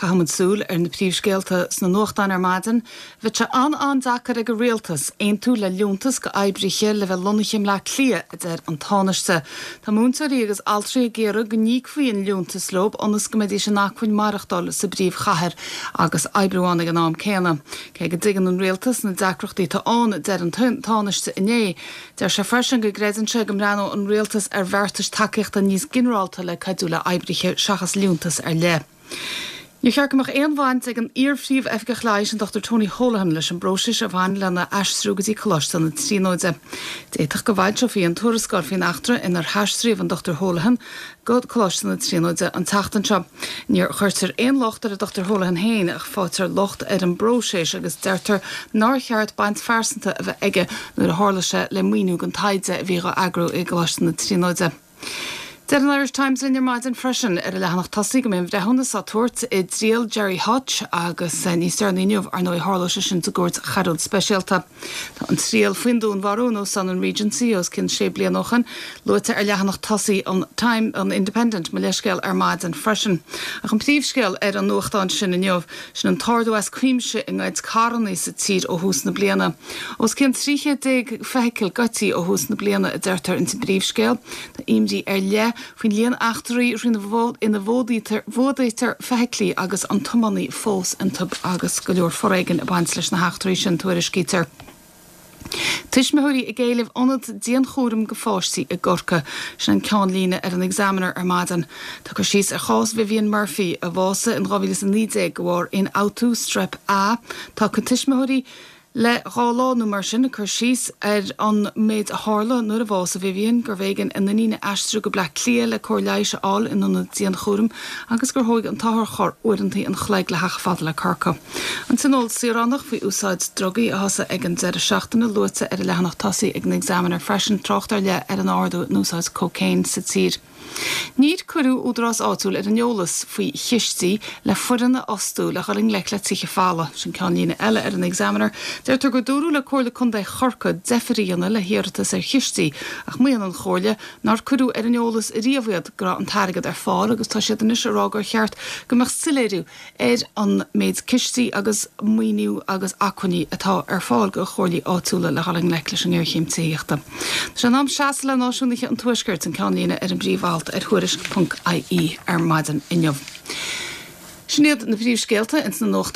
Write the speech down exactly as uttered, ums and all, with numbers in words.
Caithfimid súil ar na príomhscéalta sna nuachtáin ar maidin, Bheadh sé an-an-deacair ag an rialtas aontú le liúntas go oibrithe le bheith lonnaithe i mBleá Cliath, a deir an Tánaiste. Tá múinteoirí agus altraí ag iarraidh go n-íocfaí an liúntas leo ionas go mbeidís in acmhainn maireachtáil sa bpríomhchathair agus oibriú ann ag an am céanna. Cé go dtuigeann an rialtas na deacrachtaí atá ann deir an Tánaiste inné. Deir sé freisin go gcreideann sé go mbreathnódh an rialtas ar bheartais tacaíochta níos ginearálta le cuidiú le oibrithe seachas liúntas ar leith. Níor cheart go mbeadh aon bhaint ag an iar-phríomh-oifigeach leighis an Dr Tony Holohan leis an bpróiseas a bhain lena aistriú go dtí Coláiste na Tríonóide. D'fhéadfadh go bhfoilseofaí an tuarascáil faoin eachtra inar haistríodh an Dr Holohan go Coláiste na Tríonóide an tseachtain seo. Níor chuirtear aon locht ar an Dr Holohan féin ach faightear locht ar an bpróiseas agus deirtear nár cheart baint phearsanta a bheith aige nuair a tharla sé le maoiniú don taighde a bhí á eagrú i gColáiste na Tríonóide. Deir an Irish Times linn ar maidin freisin ar a leathanach tosaigh go mbeidh an breithiúnas á tabhairt i dtriail Gerry Hutch agus eh, níos deireanaí inniu ar ndóigh tharlódh sé sin sa gcúirt choiriúil speisialta. Tá an triail faoin dúnmharú in Óstán an Regency os cionn sé bliana ó shin, luaite ar leathanach tosaigh an Time an Independent mo leithscéal ar maidin freisin. Ach an príomhscéal ar an nuachtán sin inniu sin an t-ardú as cuimse i ngoid carranna sa tír ó thús na bliana. Os cionn trí chéad déag feithicil goidte ó thús na bliana a deirtear in sa bpríomhscéal, Tá imní ar leith faoin líon eachtraí ina bhfuadaítear feithiclí agus an tiománaí fós iontu agus go leor foréigin ag baint leis na heachtraí sin tuairiscítear. Tuismitheoirí ag éileamh ionad dianchúraim go pháistí i gCorcaigh sin an ceannlíne ar an Examiner ar maidin. Tá cur síos ar chás Vivian Murphy a bhásaigh in dhá mhíle is a naoi déag de bharr ionfhabhtú strep A tá tuismitheoirí le dhá lá nó mar sin cur síos ar an méid a tharla nuair a bhásaigh Vivian gurbh éigean a n-iníon a aistriú go Bleá Cliath le cóir leighis a fháil in ionad dianchúraim agus gur thóg an t-otharcharr uaireanta an chloig le theacht fada le Corcaigh. An tionól saoránach faoi úsáid drugaí a thosaigh ag an deireadh seachtaine luaite ar a leathanach tosaigh ag an Examiner freisin trácht ar leith ar an ardú in úsáid cócaon sa tír. Níor cuireadh údarás áitiúil ar an eolas faoi chistí le foireann a fhostú le dhul i ngleic le tithe folmha sin ceannlíne eile ar an Examiner. Deirtear gur dúradh le Comhairle Contae Chorcaí deifir a dhéanamh le hiarratas ar chistí ach maíonn an Chomhairle nár cuireadh ar an eolas riamh iad go raibh an t-airgead ar fáil agus tá siad anois ag rá gur cheart go mbeadh soiléiriú ar an méid cistí agus maoiniú agus acmhainní atá ar fáil go chomhairlí áitiúla le dhul i ngleic leis an ngéarchéim tithíochta. Tá sé in am seasamh le náisiúnaithe an Tuaiscirt an ceannlíne ar an bpríomh-alt ar tuairisc.ie ar maidin inniu. Sin iad na príomhscéalta ins na nuacht